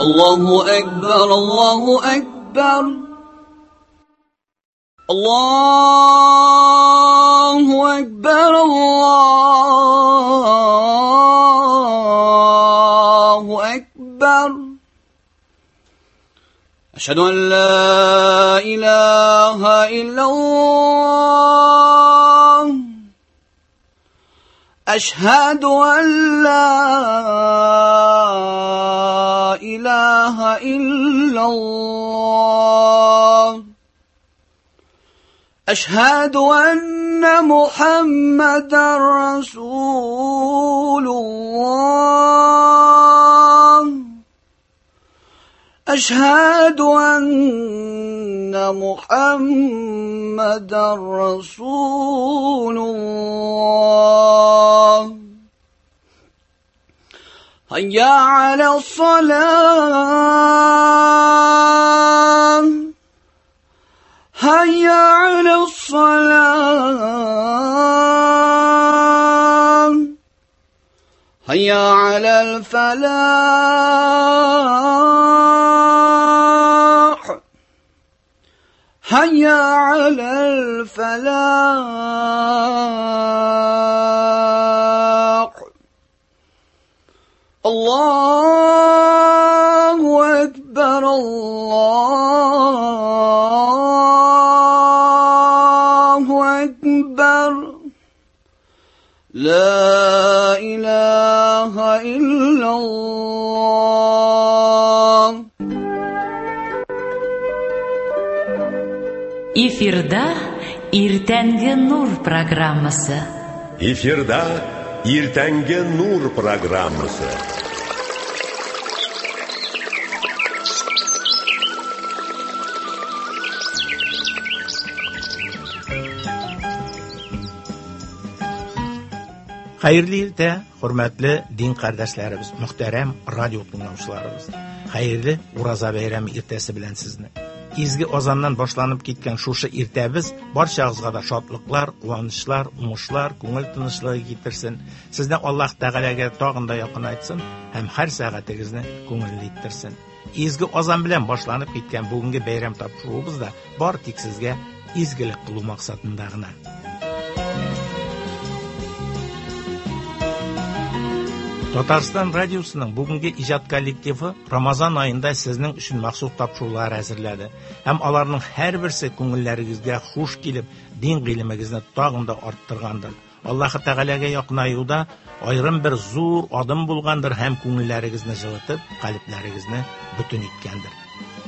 الله أكبر الله أكبر الله أكبر الله أكبر أشهد أن لا إله إلا الله أشهد أن لا إله إلا الله أشهد أن محمدا رسول الله أشهد أن محمدا رسول الله هيا على الصلاة هيا على الصلاة هيا على الفلاح هيا على الفلاح الله أكبر الله أكبر لا إله إلا الله. Эфирда Иртәнге нур программасы. Эфирда Иртәнге нур программасы. Хәерле иртә, хөрмәтле дин кардәшләребез, мөхтәрәм радио тыңлаучыларыбыз. Хәерле Ураза бәйрәме иртәсе белән сезне. Изге азаннан башланып киткән шушы иртәбез барчагызга да шатлыклар, куанычлар, уңышлар, күңел тынычлыгы китерсен. Сезне Аллаһ Тәгаләгә тагын да якынайтсын һәм һәр сәгатегезне күңелле иттерсен. Изге азан белән башланып киткән бүгенге бәйрәм тапшыруыбыз да бар тик сезгә изгелек кылу максатында гына. Татарстан радиосының бүгенге иҗат коллективы Рамазан аенда сезнең өчен махсус тапшырулар әзерләде. Һәм аларның һәрберсе күңелләрегезгә хуш килеп, дин гыйлемегезне тагын да арттыргандыр. Аллаһы Тәгаләгә якынаюда аерым бер зур адым булгандыр һәм күңелләрегезне җылытып, калебләрегезне бөтен иткәндер.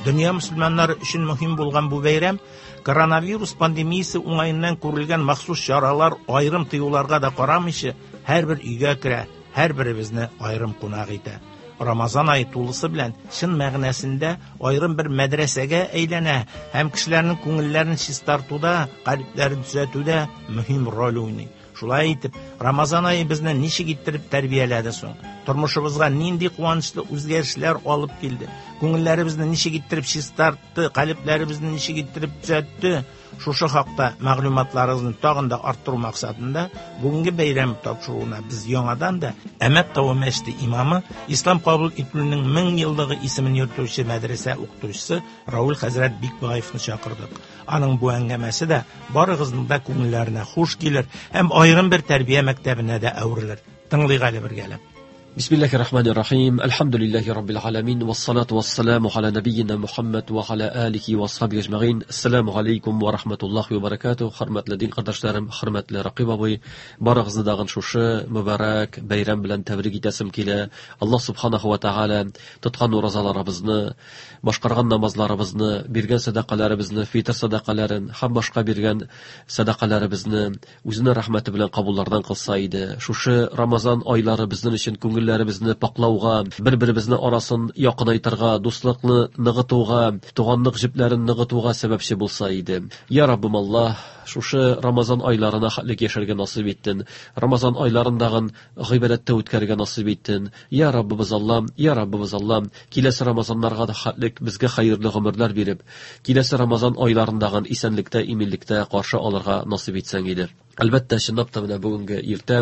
Дөнья мөселманнары өчен мөһим булган бу бәйрәм коронавирус пандемиясе уңаеннан күрелгән махсус чаралар, аерым тыюларга да карамыйча, һәрбер өйгә керә, һәрберебезне аерым кунак итә. Рамазан айы тулысы белән чын мәгънәсендә аерым бер мәдрәсәгә әйләнә һәм кешеләрнең күңелләрен чистартуда, калебләрен төзәтүдә мөһим роль уйный. Шулай итеп, Рамазан айы безне ничек иттереп тәрбияләде соң? Тормышыбызга нинди куанычлы үзгәрешләр алып килде? Күңелләребезне ничек иттереп чистартты, калебләребезне ничек иттереп төзәтте? Шушы хакта мәгълүматларыгызны тагын да арттыру максатында бүгенге бәйрәм тапшыруына без яңадан да Әмәт тавы мәчете имамы, Ислам кабул ителүнең 1000 еллыгы исемен йөртүче мәдрәсә укытучысы Раул хәзрәт Бикбаевны чакырдык. Аның бу әңгәмәсе дә барыгызның да күңелләренә хуш килер һәм аерым бер тәрбия мәктәбенә дә әверелер. Тыңлыйк әле бергәләп. Бисмиллахир рахманир рахим. Әлхәмдүлилләһи раббил аламин вассалату вассаламу аля набийина Мухаммад ва аля алихи ва асхабихи ажмаин. Ассаламу алейкум ва рахматуллахи ва баракатуһ. Хөрмәтле дин кардәшләрем, хөрмәтле Ракыйп абый, барыгызны дагын шушы мөбарәк бәйрәм белән тәбрик итәсем килә. Аллаһ субханаху ва тааля тоткан уразаларыбызны, башкарган намазларыбызны, биргән сәдакаларыбызны, фитр сәдакаларын һәм башка биргән сәдакаларыбызны үзенең рәхмәте белән кабуллардан кылса иде. Шушы Рамазан айлары безнең өчен күңелләребезне паклауга, бер-беребезне арасын якынайтырга, дуслыкны ныгытуга, туганлык җепләрен ныгытуга сәбәпче булса иде. Я Раббым Аллаһ, шушы Рамазан айларына хәтлек яшәргә насыйп иттен. Рамазан айларындагын гыйбадәттә үткәрергә насыйп иттен. Я Раббыбыз Аллаһ, я Раббыбыз Аллаһ, киләсе Рамазаннарга да хәтлек безгә хәерле гомерләр биреп, киләсе Рамазан айларындагын исәнлектә, иминлектә каршы алырга насыйп итсәң иде. Әлбәттә, чынлап та менә бүгенге иртә,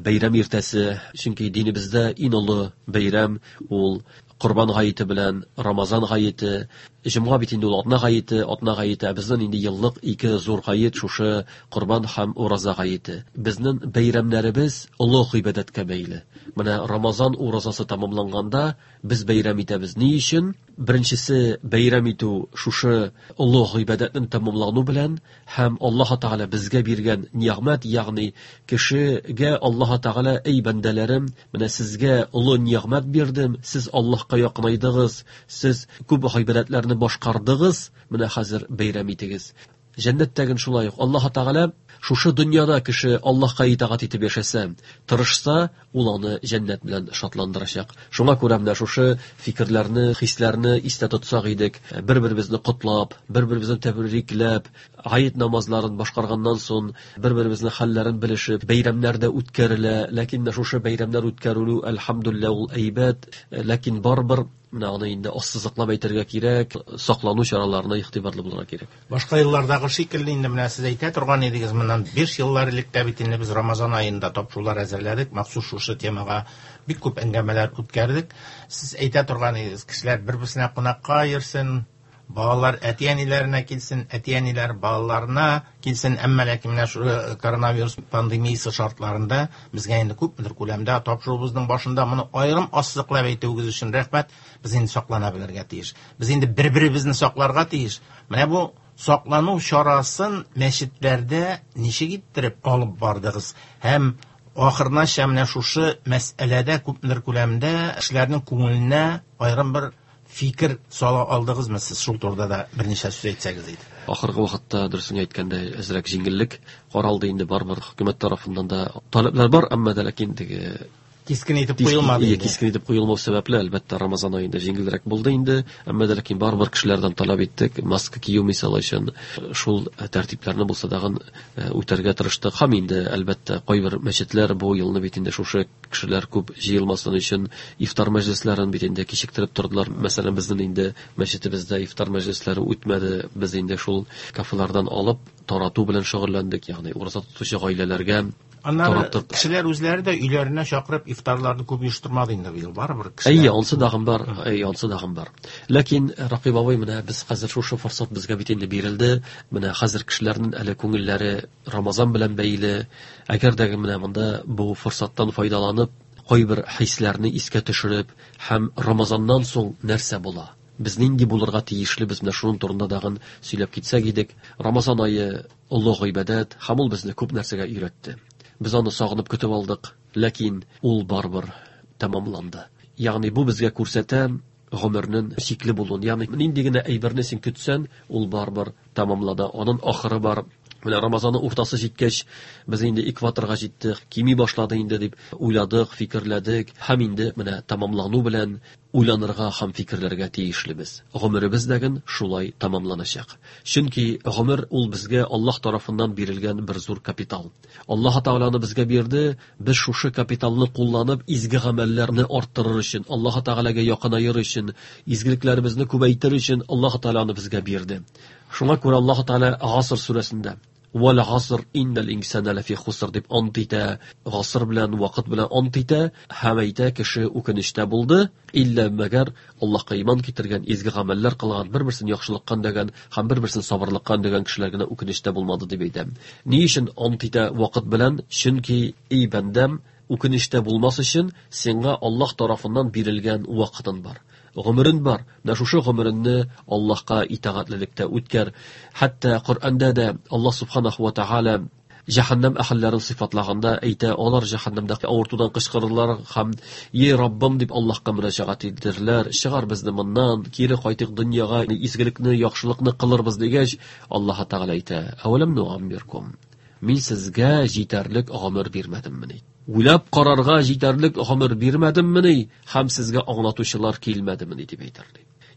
бәйрәм иртәсе, чөнки динебездә иң олы бәйрәм ул Корбан гаете белән Рамазан гаете, җомга бит инде ул атна гаете, атна гаете, ә безнең инде еллык ике зур гает шушы Корбан һәм Ураза гаете. Безнең бәйрәмнәребез олы гыйбадәткә бәйле. Менә Рамазан уразасы тәмамланганда без бәйрәм итәбез. Ни өчен? Беренчесе бәйрәм итү шушы олы гыйбадәтнең тәмамлану белән һәм Аллаһ Тәгалә безгә биргән нигъмәт, ягъни кешегә Аллаһ Тәгалә: "Эй бәндәләрем, менә сезгә олы нигъмәт бирдем, сез Аллаһка якынайдыгыз, сез күп гыйбадәтләрне башкардыгыз, менә хәзер бәйрәм итегез." Җәннәттәген шулай ук Аллаһ Тәгалә шушы дөньяда кеше Аллаһка итагать итеп яшәсә, тырышса, ул аны җәннәт белән шатландырачак. Шуңа күрә менә шушы фикерләрне, хисләрне истә тотсак идек, бер-беребезне котлап, бер-беребезне тәбрикләп, гает намазларын башкарганнан соң бер-беребезнең хәлләрен белешеп, бәйрәмнәр дә үткәрелә, ләкин менә шушы бәйрәмнәр үткәрелү, әлхәмдүлилләһ, ул әйбәт, ләкин барыбер менә аны инде ассызыклап әйтергә кирәк, саклану чараларына игътибарлы булырга кирәк. Башка еллардагы шикелле инде менә сез әйтә торган идегез, моннан 5 еллар элек тә бит инде без Рамазан аенда тапшырулар әзерләдек, махсус шушы темага бик күп әңгәмәләр үткәрдек. Сез әйтә торган идегез, кешеләр бер-берсенә кунакка йөрсен, балалар әти-әниләренә килсен, әти-әниләр балаларына килсен, әмма ләкин менә шул коронавирус пандемиясе шартларында безгә инде күпмедер күләмдә тапшыруыбызның башында моны аерым ассызыклап әйтүегез өчен рәхмәт. Без инде саклана белергә тиеш. Без инде бер-беребезне сакларга тиеш. Менә бу саклану чарасын мәчетләрдә ничек иттереп алып бардыгыз? Һәм ахырынача менә шушы мәсьәләдә күпмедер күләмдә кешеләрнең күңеленә аерым бер фикер сала алдыгызмы сез? Шул турыда да берничә сүз әйтсәгез иде. Ахыргы вакытта, дөресен әйткәндә, әзрәк җиңеллек каралды инде, барыбер хөкүмәт тарафыннан да таләпләр бар, әмма дә ләкин теге кискен итеп куелмады инде. Кискен итеп куелмау сәбәпле, әлбәттә, Рамазан аенда җиңелрәк булды инде, әмма дә ләкин барыбер кешеләрдән таләп иттек, маска кию мисал өчен, шул тәртипләрне булса дагын үтәргә тырыштык. Һәм инде, әлбәттә, кайбер мәчетләр бу елны бит инде шушы кешеләр күп җыелмасын өчен ифтар мәҗлесләрен бит инде кичектереп тордылар. Мәсәлән, безнең инде мәчетебездә ифтар мәҗлесләре үтмәде. Без инде шул кафелардан алып тарату белән шөгыльләндек, ягъни ураза тотучы гаиләләргә. Аннары кешеләр үзләре дә өйләренә чакырып ифтарларны күп оештырмады инде быел, барыбер кешеләр. Әйе, ансы дагын бар, әйе, ансы дагын бар. Ләкин Ракыйп абый, менә без хәзер шушы форсат безгә бит инде бирелде. Менә хәзер кешеләрнең әле күңелләре Рамазан белән бәйле. Әгәр дә менә монда бу форсаттан файдаланып, кайбер хисләрне искә төшереп һәм Рамазаннан соң нәрсә була? Без нинди булырга тиешле, без менә шуның турында дагын сөйләп китсәк идек. Рамазан ае олы гыйбадәт һәм ул безне күп нәрсәгә өйрәтте. Без аны сагынып көтеп алдык, ләкин ул барыбер тәмамланды. Ягъни бу безгә күрсәтә гомернең чикле булуын. Ягъни нинди генә әйберне син көтсән, ул барыбер тәмамлана. Аның ахыры бар. Менә Рамазанның уртасы җиткәч, без инде экваторга җиттек, кими башлады инде дип уйладык, фикерләдек һәм инде менә тәмамлану белән уйланырга һәм фикерләргә тиешлебез. Гомеребез дәген шулай тәмамланачак. Чөнки гомер ул безгә Аллаһ тарафыннан бирелгән бер зур капитал. Аллаһ Тәгаләне безгә бирде, без шушы капиталны кулланып изге гамәлләрне арттырыр өчен, Аллаһ Тәгаләгә якынаер өчен, изгелекләребезне күбәйтер өчен Аллаһ Тәгаләне безгә бирде. Шуңа күрә Аллаһ Тәгалә Гаср сүрәсендә Вәл гаср иннал инсана лафи хуср дип ант итә, гаср белән, вакыт белән ант итә һәм әйтә, кеше үкенечтә булды, иллә мәгәр Аллаһка иман китергән, изге гамәлләр кылган, бер-берсен яхшылыкка өндәгән һәм бер-берсен сабырлыкка өндәгән кешеләр генә үкенечтә булмады дип әйтә. Ни өчен ант итә вакыт белән? Чөнки эй бәндәм, үкенечтә булмас өчен сиңа Аллаһ тарафыннан бирелгән вакытын бар, гомерен бар. Менә шушы гомереңне Аллаһка итагатьлелектә үткәр. Хәтта Коръәндә дә Аллаһ субханаху ва тааля җәһәннәм әһелләрен сыйфатлаганда әйтә, алар җәһәннәмдә авыртудан кычкырырлар һәм "Ей Раббым" дип Аллаһка мөрәҗәгать итерләр, чыгар безне моннан, кире кайтыйк дөньяга, изгелекне, яхшылыкны кылырбыз дигәч, Аллаһ Тәгалә әйтә: "Әвәләм нуаммиркум, мин сезгә җитәрлек гомер бирмәдеммени? Уйлап карарга җитәрлек гомер бирмәдеммени? Һәм сезгә аңлатучылар килмәдемени?" дип әйтер.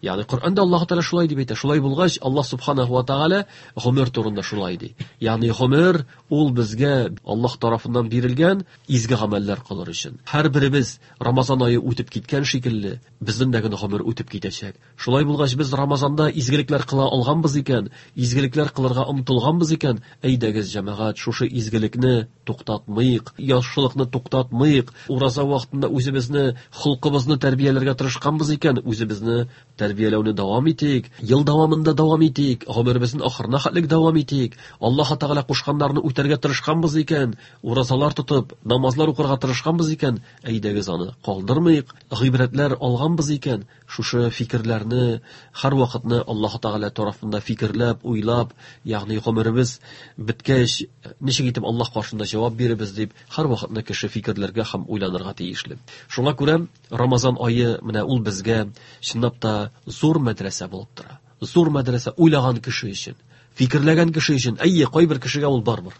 Ягъни Коръәндә Аллаһ Тәгалә шулай дип әйтә. Шулай булгач, Аллаһ субханаһу ва тәгалә гомер турында шулай ди. Ягъни гомер ул безгә Аллаһ тарафыннан бирелгән изге гамәлләр кылыр өчен. Һәрберебез Рамазан ае үтеп киткән шикелле, безнең дә генә гомер үтеп китәчәк. Шулай булгач, без Рамазанда изгелекләр кыла алганбыз икән, изгелекләр кылырга омтылганбыз икән, әйдәгез, җәмәгать, шушы изгелекне туктатмыйк, яхшылыкны туктатмыйк. Ураза вакытында үзебезне, холкыбызны тәрбияләргә тырышканбыз икән, үзебезне тәрбияләүне дәвам итик, ел дәвамында дәвам итик, гомеребезнең ахырына хәтлек дәвам итик. Аллаһ Тәгалә кушканнарны үтәргә тырышканбыз икән, уразалар тотып, намазлар укырга тырышканбыз икән, әйдәгез аны калдырмыйк. Гыйбрәтләр алганбыз икән, шушы фикерләрне һәрвакытны Аллаһ Тәгалә тарафында фикерләп, уйлап, ягъни гомеребез беткәч, ничек итеп Аллаһ каршында җавап бирербез дип, һәрвакытны кеше фикерләргә һәм уйланырга тиешле. Шуңа күрә Рамазан ае менә ул безгә чынлап та зур мәдрәсә булып тора. Зур мәдрәсә уйлаган кеше өчен, фикерләгән кеше өчен. Әйе, кайбер кешегә ул барбер.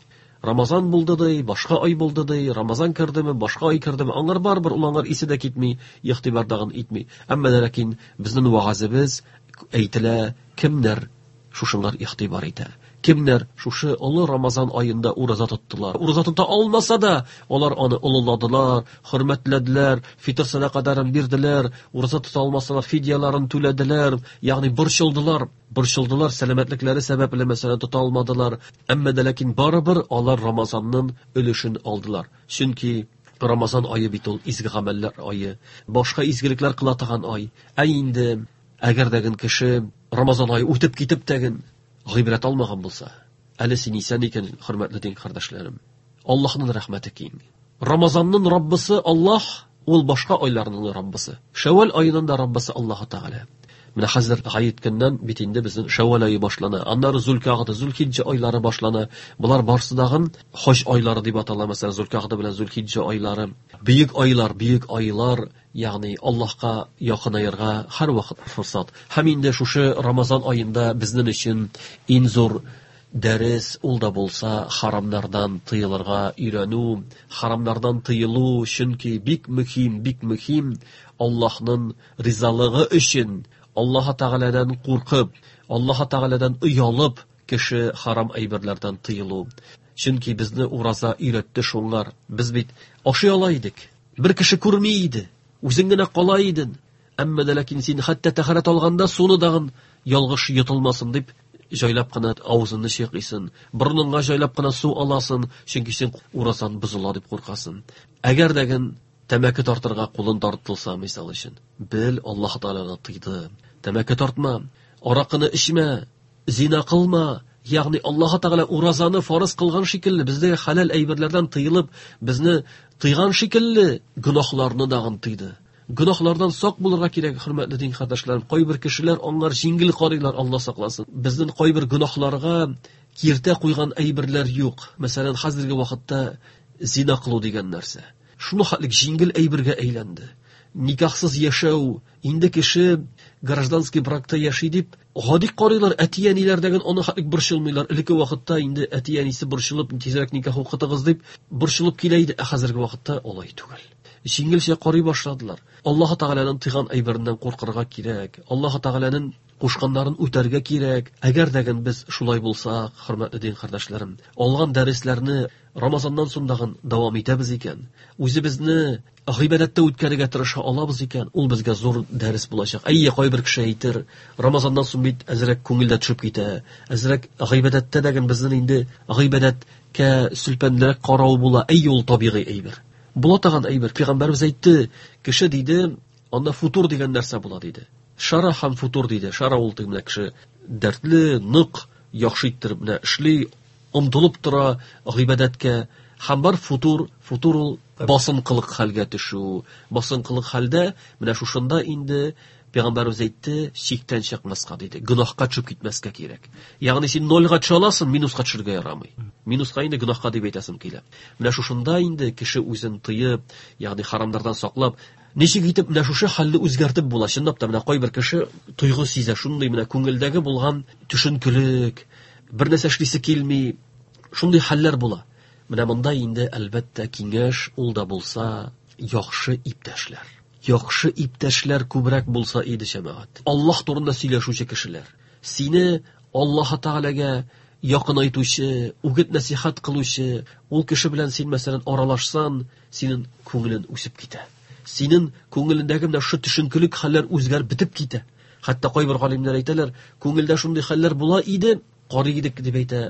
Рамазан булды ди, башка ай булды ди, Рамазан кердеме, башка ай кердеме, аңар барбер, ул аңар исе дә китми, игътибар дагын итми. Әмма дә ләкин безнең вагазыбыз әйтелә, кемнәр шушыңар игътибар итә? Кемнәр шушы олы Рамазан аенда ураза тоттылар? Ураза тота алмаса да, алар аны олыладылар, хөрмәтләделәр, фитр сәдакаларын бирделәр, ураза тота алмасалар, фидияларын түләделәр, ягъни борчылдылар. Борчылдылар, сәламәтлекләре сәбәпле, мәсәлән, тота алмадылар. Әмма дә ләкин барыбер алар Рамазанның өлешен алдылар. Чөнки Рамазан ае бит ул изге гамәлләр ае, башка изгелекләр кыла торган ай. Ә инде әгәр дә кеше Рамазан ае үтеп китеп тәген гыйбрәт алмаган булса, әле син исән икән, хөрмәтле дин кардәшләрем. Аллаһның рәхмәте киң. Рамазанның Раббысы Аллаһ, ул башка айларның Раббысы. Шәвәл аеның да Раббысы Аллаһ Тәгалә. Менә хәзер гает көннән бит инде безнең Шәвәл ае башлана. Аннары Зулкагда, Зулхиҗҗә айлары башлана. Болар барсы дагын хаҗ айлары дип атала, мәсәлән, Зулкагда белән Зулхиҗҗә айлары. Бөек айлар, бөек айлар, ягъни Аллаһка якынаерга һәрвакыт форсат. Һәм инде шушы Рамазан аенда безнең өчен иң зур дәрес ул да булса харамнардан тыелырга өйрәнү, харамнардан тыелу, чөнки бик мөһим, бик мөһим Аллаһның ризалыгы өчен, Аллаһ Тәгаләдән куркып, Аллаһ Тәгаләдән оялып кеше харам әйберләрдән тыелу. Чөнки безне ураза өйрәтте шуңар. Без бит ашый ала идек. Бер кеше күрми иде. Үзең генә кала идең. Әмма дә ләкин син хәтта тәһарәт алганда суны дагын ялгыш йотылмасын дип җайлап кына авызыңны чайкыйсың, борыныңа җайлап кына су аласың, чөнки син уразан бозыла дип куркасың. Әгәр дә тәмәке тартырга кулын тартылса, мисал өчен, бел, Аллаһ Тәгалә тыйды. Тәмәке тартма, аракыны эчмә, зина кылма. Ягъни Аллаһ Тәгалә уразаны фарыз кылган шикелле, бездә хәләл әйберләрдән тыелып, безне тыйган шикелле, гөнаһларны дагын тыйды. Гөнаһлардан сак булырга кирәк, хөрмәтле дин кардәшләрем. Кайбер кешеләр аңар җиңел карыйлар, Алла сакласын. Безнең кайбер гөнаһларга киртә куйган әйберләр юк. Мәсәлән, хәзерге вакытта зина кылу дигән нәрсә. Шуны хәтлек җиңел әйбергә әйләнде. Никахсыз яшәү, инде кеше гражданский бракта яши дип гади карыйлар, әти-әниләр дәген аны хәтлек борчылмыйлар. Элекке вакытта инде әти-әнисе борчылып, тизрәк никах укытыгыз дип борчылып килә иде, ә хәзерге вакытта алай түгел. Җиңелчә карый башладылар. Аллаһ Тәгаләнең тыйган әйбереннән куркырга кирәк. Аллаһ Тәгаләнең кушканнарын үтәргә кирәк. Әгәр дә без шулай булсак, хөрмәтле дин кардәшләрем, алган дәресләрне Рамазаннан соң дагын дәвам итәбез икән, үзебезне гыйбадәттә үткәрергә тырыша алабыз икән, ул безгә зур дәрес булачак. Әйе, кайбер кеше әйтер, Рамазаннан соң бит әзрәк күңел дә төшеп китә, әзрәк гыйбадәттә дә безнең инде гыйбадәткә сүлпәнлерәк карау була. Әйе, ул табигый әйбер. Була торган әйбер. Пәйгамбәребез әйтте, кеше диде, анда футур дигән нәрсә була диде. Шара һәм футур диде. Шара ул теге менә кеше дәртле, нык, яхшы иттереп менә эшли, омтылып тора гыйбадәткә. Һәм бар футур, футур ул басынкылык хәлгә төшү. Басынкылык хәлдә менә шушында инде Пәйгамбәребез әйтте, чиктән чыкмаска диде. Гөнаһка төшеп китмәскә кирәк. Ягъни син нольга төшә аласың, минуска төшергә ярамый. Минуска инде гөнаһка дип әйтәсем килә. Менә шушында инде кеше үзен тыеп, ягъни харамнардан саклап, ничек итеп менә шушы хәлне үзгәртеп була? Чынлап та менә кайбер кеше тойгы сизә, шундый менә күңелдәге булган төшенкелек, бер нәрсә эшлисе килми, шундый хәлләр була. Менә монда инде әлбәттә киңәш ул да булса яхшы иптәшләр. Яхшы иптәшләр күбрәк булса иде, җәмәгать. Аллаһ турында сөйләшүче кешеләр. Сине Аллаһ Тәгаләгә якынайтучы, үгет нәсихәт кылучы, ул кеше белән син, мәсәлән, аралашсан, синең күңелең үсеп китә. Синең күңелендәге менә шушы төшенкелек хәлләр үзгәреп бетеп китә. Хәтта кайбер галимнәр әйтәләр, күңелдә шундый хәлләр була иде, карый идек дип әйтә,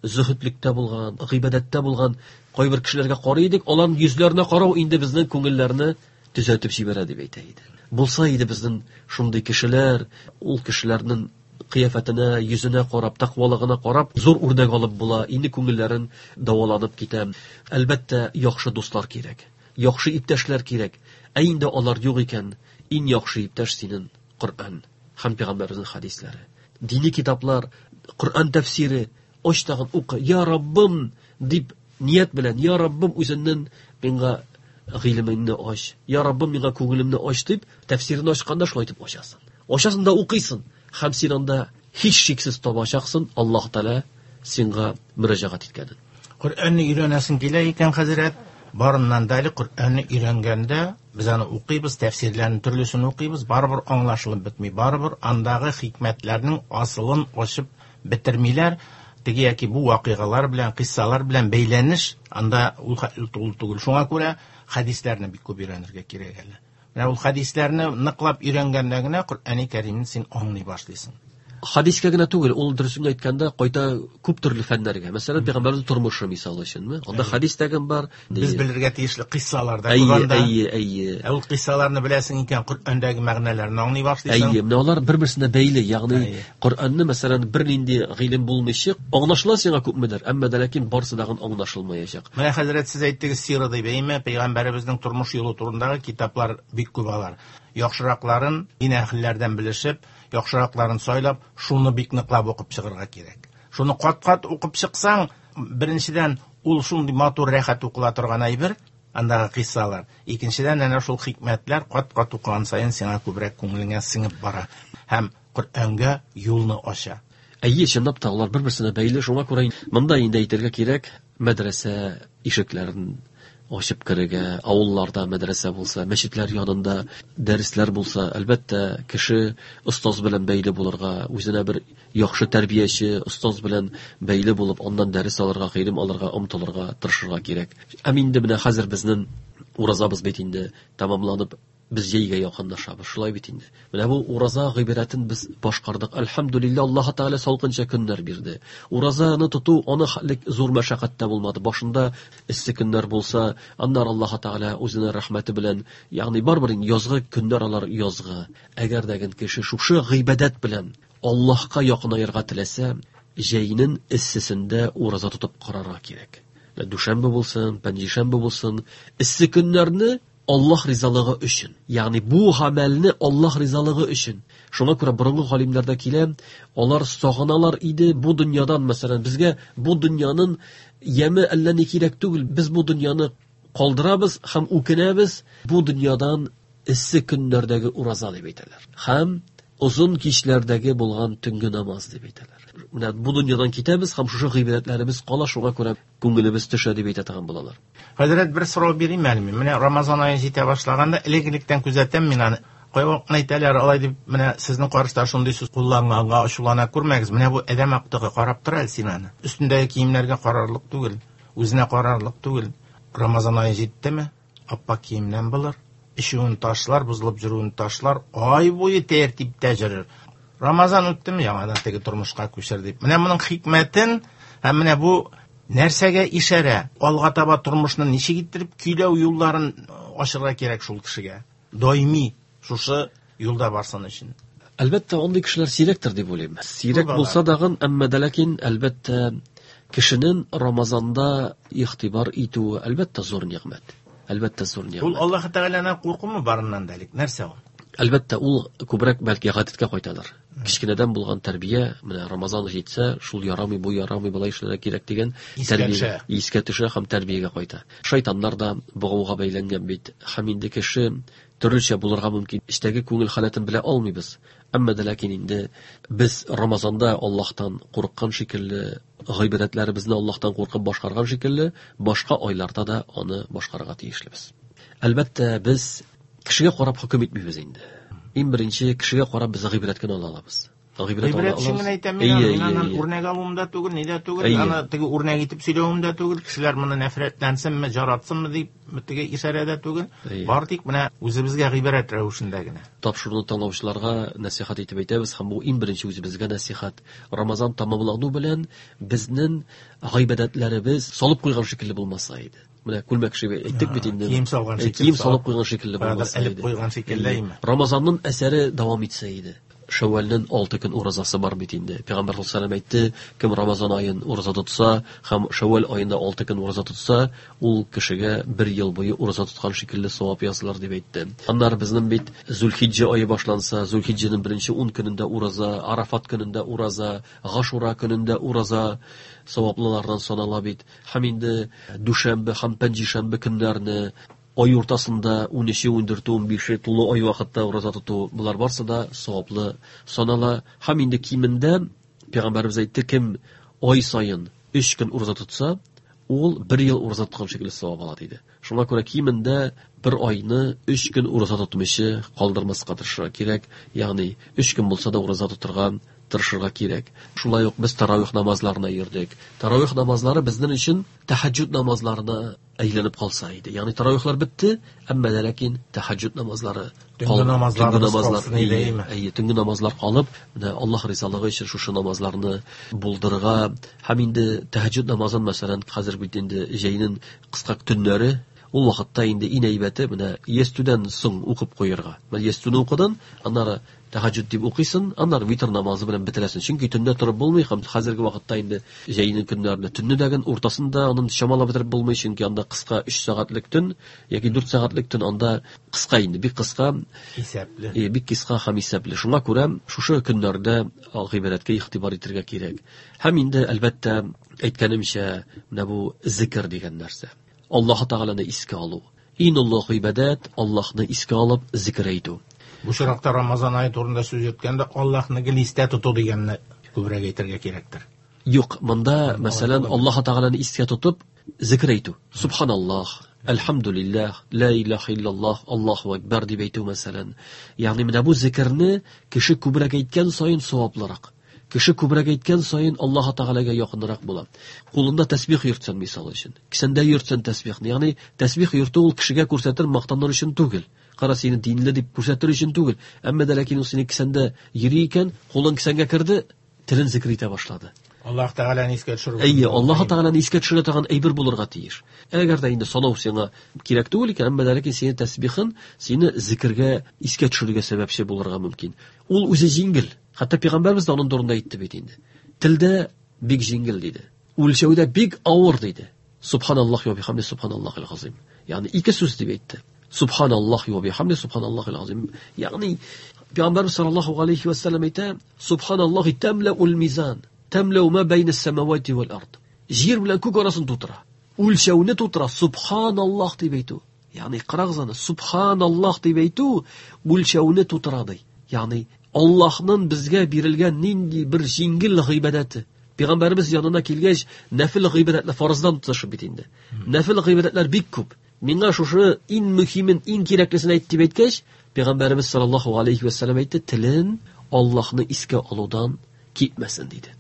зөһедлектә булган, гыйбадәттә булган кайбер кешеләргә карый идек, аларның йөзләренә карау инде безнең күңелләрне төзәтеп җибәрә дип әйтә иде. Булса иде безнең шундый кешеләр, ул кешеләрнең кыяфәтенә, йөзенә карап, тәкъвалыгына карап, зур үрнәк алып була, инде күңелләрен дәваланып китә. Әлбәттә, яхшы дуслар кирәк, яхшы иптәшләр кирәк. Ә инде алар юк икән, иң яхшы иптәш синең Коръән һәм пәйгамбәребезнең хәдисләре. Дини китаплар, Коръән тәфсире, ач тагын укы. Я Раббым дип ният белән, Я Раббым, үзеңнең миңа гыйлемеңне ач. Я Раббым, миңа күңелемне ач дип, тәфсирен ачканда шулай итеп ачасың. Ачасың да укыйсың. Һәм син анда һичшиксез табачаксың Аллаһ Тәгалә сиңа мөрәҗәгать иткәнен. Коръәнне өйрәнәсең килә икән, хәзрәт, барыннан да әле Коръәнне өйрәнгәндә без аны укыйбыз, тәфсирләрен төрлесен укыйбыз, барыбер аңлашылып бетми, барыбер андагы хикмәтләрнең асылын ачып бетермиләр. Теге яки бу вакыйгалар белән, кыйссалар белән бәйләнеш анда ул хәтле тулы түгел. Шуңа күрә хәдисләрне бик күп өйрәнергә кирәк әле. Менә ул хәдисләрне ныклап өйрәнгәндә генә Коръәни Кәримне син аңлый башлыйсың. Хәдискә генә түгел, ул дөресен әйткәндә кайта күп төрле фәннәргә. Мәсәлән, пәйгамбәрнең тормышы мисалы өченме? Анда хәдис тә кем бар? Без белергә тиешле кыйссалар да күп анда. Әйе, әйе. Ә ул кыйссаларны беләсең икән, Коръәндәге мәгънәләрне аңлый башлыйсың. Әйе, менә алар бер-берсенә бәйле. Ягъни Коръәнне, мәсәлән, бернинди гыйлем булмыйча, аңлашыла сиңа күпмедер, әмма дә ләкин барысы да аңлашылмаячак. Менә хәзрәт, сез әйттегез сира дип, әйме, пәйгамбәребезнең тормыш юлы турындагы китаплар бик күп алар. Яхшыракларын дин әһелләрдән белешеп, яхшыракларын сайлап, шуны бик ныклап укып чыгарга кирәк. Шуны кат-кат укып чыксаң, беренчедән, ул шундый матур, рәхәт укыла торган әйбер, андагы кыйссалар. Икенчедән, әнә шул хикмәтләр кат-кат укыган саен сиңа күбрәк күңелеңә сеңеп бара һәм Коръәнгә юлны ача. Әйе, чынлап та алар бер-берсенә бәйле, шуңа күрә монда инде әйтергә кирәк, мәдрәсә ишекләрен ачып керергә, авылларда мәдрәсә булса, мәчетләр янында дәресләр булса, әлбәттә, кеше остаз белән бәйле булырга, үзенә бер яхшы тәрбияче, остаз белән бәйле булып, аннан дәрес алырга, гыйлем алырга омтылырга, тырышырга кирәк. Һәм инде менә хәзер безнең уразабыз бит инде тәмамланып, без җәйгә якынлашабыз, шулай бит инде. Менә бу ураза гыйбадәтен без башкардык. Әлхәмдүлилләһ, Аллаһ Тәгалә салкынча көннәр бирде. Уразаны тоту аны хәлек зур мәшәкать тә булмады. Башында эссе көннәр булса, аннары Аллаһ Тәгалә үзенең рәхмәте белән, ягъни барыбер инде язгы көннәр алар язгы. Әгәр дә кеше шушы гыйбадәт белән Аллаһка якынаерга теләсә, җәйнең эссесендә ураза тотып карарга кирәк. Дүшәмбе булсын, пәнҗешәмбе булсын, эссе көннәрне Аллаһ ризалыгы өчен. Ягъни бу гамәлне Аллаһ ризалыгы өчен. Шуңа күрә борынгы галимнәрдә килә, алар сагыналар иде бу дөньядан, мәсәлән, безгә бу дөньяның яме әллә ни кирәк түгел, без бу дөньяны калдырабыз һәм үкенәбез бу дөньядан эссе көннәрдәге ураза дип әйтәләр. Һәм озын кичләрдәге булган төнге намаз дип әйтәләр. Менә бу дөньядан китәбез һәм шушы гыйбадәтләребез кала, шуңа күрә күңелебез төшә дип әйтә торган булалар. Хәзрәт, бер сорау бирим әле мин. Менә Рамазан ае җитә башлаганда, элек-электән күзәтәм мин аны. Кайвакытны әйтәләр, алай дип, менә сезнең каршыда шундый сүз кулланганга ачулана күрмәгез. Менә бу адәм актыгы, карап тор әле син аны. Өстендәге киемнәргә карарлык түгел, үзенә карарлык түгел. Рамазан ае җиттеме? Аппак киемнән булыр, эчүен ташлар, бозылып йөрүен ташлар, ай буе тәртиптә йөрер. Рамазан үттеме, яңадан теге тормышка күчер дип. Менә моның хикмәтен һәм менә бу нәрсәгә ишарә, алга таба тормышны ничек иттереп көйләү юлларын ачырга кирәк шул кешегә. Даими шушы юлда барсын өчен. Әлбәттә, андый кешеләр сирәктер дип уйлыйм. Сирәк булса дагын, әмма дә ләкин, әлбәттә, кешенең Рамазанда игътибар итүе, әлбәттә, зур нигъмәт. Әлбәттә, зур нигъмәт. Ул Аллаһ Тәгаләдән куркумы барыннан да элек? Нәрсә ул? Әлбәттә, ул күбрәк бәлки гадәткә кайтадыр. Кечкенәдән булган тәрбия, менә Рамазан җитсә, шул ярамый, бу ярамый, болай эшләргә кирәк дигән тәрбия искә төшә һәм тәрбиягә кайта. Шайтаннар да богауга бәйләнгән бит. Һәм инде кеше төрлечә булырга мөмкин. Эчтәге күңел халәтен белә алмыйбыз. Әмма дә ләкин инде без Рамазанда Аллаһтан курыккан шикелле, гыйбадәтләребезне Аллаһтан куркып башкарган шикелле, башка айларда да аны башкарырга тиешлебез. Әлбәттә, без Кешегә карап хөкем итмибез инде. Иң беренче кешегә карап без гыйбрәт кенә ала алабыз. Гыйбрәт өчен генә әйтәм мин, мин аннан үрнәк алуым да түгел, ни дә түгел, аны теге үрнәк итеп сөйләвем дә түгел, кешеләр моны нәфрәтләнсенме, жаратсынмы дип теге ишарә дә түгел. Бар тик менә үзебезгә гыйбрәт рәвешендә генә. Тапшыруны тыңлаучыларга нәсихәт итеп әйтәбез, һәм бу иң беренче үзебезгә нәсихәт. Рамазан тәмамлану белән безнең гыйбадәтләребез салып куйган шикелле булмаса иде. Менә күлмәк шиbe әйттек бит инде. Кием салган шикелле. Кием салып куйган шикелле булмаса иде. Элеп куйган шикелле име? Рамазанның әсәре дәвам итсә иде. Шәүвәлнең 6 көн уразасы бар бит инде. Пәйгамбәр саллаллаһу алейһи әйтте, кем Рамазан аен ураза тотса һәм Шәүвәл аенда 6 көн ураза тотса, ул кешегә бер ел буе ураза тоткан шикелле савап язылыр дип әйтте. Аннары безнең бит Зулхиҗҗә ае башланса, Зулхиҗҗәнең беренче 10 көнендә ураза, Арафат көнендә ураза, Гашура көнендә ураза саваплылардан санала бит. Һәм инде дүшәмбе һәм пәнҗешәмбе көннәрне ай уртасында 13-е, 14-е, 15-е тулы ай вакытта ураза тоту, болар барсы да саваплы санала. Һәм инде кимендә Пәйгамбәребез әйтте, кем ай саен 3 көн ураза тотса, ул бер ел ураза тоткан шикелле савап ала диде. Шуңа күрә кимендә бер айны 3 көн ураза тотмыйча калдырмаска тырышырга кирәк. Ягъни 3 көн булса да ураза тотырга тырышырга кирәк. Шулай ук без таравих намазларына йөрдек. Таравих намазлары безнең өчен тәһәҗҗүд намазларына әйләнеп калса иде. Ягъни таравихлар бетте, әмма дә ләкин тәһәҗҗүд намазлары төнге намазлар, әйе, төнге намазлар калып, менә Аллаһ ризалыгы өчен шушы намазларны булдырырга һәм инде тәһәҗҗүд намазын, мәсәлән, хәзер бит инде җәйнең кыска төннәре, ул вакытта инде иң әйбәте менә ястүдән соң укып куярга. Менә ястүне укыдың, аннары тәһәҗҗүд дип укыйсың, аннары витр намазы белән бетерәсең. Чөнки төндә торып булмый һәм хәзерге вакытта инде җәйнең көннәрендә төнне дәген уртасында аның чамалап бетереп булмый, чөнки анда кыска 3 сәгатьлек төн яки 4 сәгатьлек төн, анда кыска инде, бик кыска, исәпле. Бик кыска һәм исәпле. Шуңа күрә шушы көннәрдә гыйбадәткә игътибар итәргә кирәк. Һәм инде әлбәттә, әйткәнемчә, менә бу зикр дигән нәрсә. Аллаһ Тәгаләне искә алу. Иң олы гыйбадәт Аллаһны искә алып зикр әйтү. Бу чоракта Рамазан ае турында сүз йөрткәндә Аллаһны гел истә тоту дигәнне күбрәк әйтергә кирәктер. Юк, монда, мәсәлән, Аллаһ Тәгаләне искә тотып зикр әйтү. Субханаллаһ, әлхәмдүлилләһ, ла илаһа иллаллаһ, Аллаһу акбар дип әйтү мәсәлән. Ягъни менә бу зикрне кеше күбрәк әйткән саен саваплырак. Кеше күбрәк әйткән саен Аллаһ Тәгаләгә якынрак була. Кулында тәсбих йөртсән, мисал өчен, кесәндә йөртсән тәсбихне, ягъни тәсбих йөртү ул кешегә күрсәтер, мактаныр өчен түгел. Кара сине динле дип күрсәтер өчен түгел. Әмма дә ләкин ул сине кесәндә йөри икән, кулың кесәнгә керде, телен зикр итә башлады. Аллаһ Тәгаләне искә төшерү. Әйе, Аллаһ Тәгаләне искә төшерә торган әйбер булырга тиеш. Әгәр дә инде санау сиңа кирәк түгел икән, әмма дә ләкин сине тәсбихын, сине зикергә искә төшерергә сәбәпче булырга мөмкин. Ул үзе җиңел. Хәтта пәйгамбәрбез дә аның турында әйтте бит инде. Телдә бик җиңел диде. Үлчәүдә бик авыр диде. Субханаллаһи ва бихамди субханаллаһил азим. Ягъни ике сүз дип әйтте. Субханаллаһи ва бихамди субханаллаһил азим. Ягъни пәйгамбәрбез саллаллаһу алейхи ва саллям әйтә, субханаллаһи тамлаул мизан, тамлау ма байна самавати вал ард. Җир белән күк арасын тутыра. Үлчәүне тутыра. Субханаллаһ дип әйтү. Ягъни карагыз аны, субханаллаһ дип әйтү үлчәүне тутыра ди. Ягъни Аллаһның безгә бирелгән нинди бер җиңел гыйбадәте. Пәйгамбәребез янына килгәч, нәфил гыйбадәтләр фарыздан тотышып бит инде. Нәфил гыйбадәтләр бик күп. Миңа шушы иң мөһимен, иң кирәклесен әйт дип әйткәч, Пәйгамбәребез саллаллаһу алейхи ва саллям әйтте, телен Аллаһны искә алудан китмәсен диде.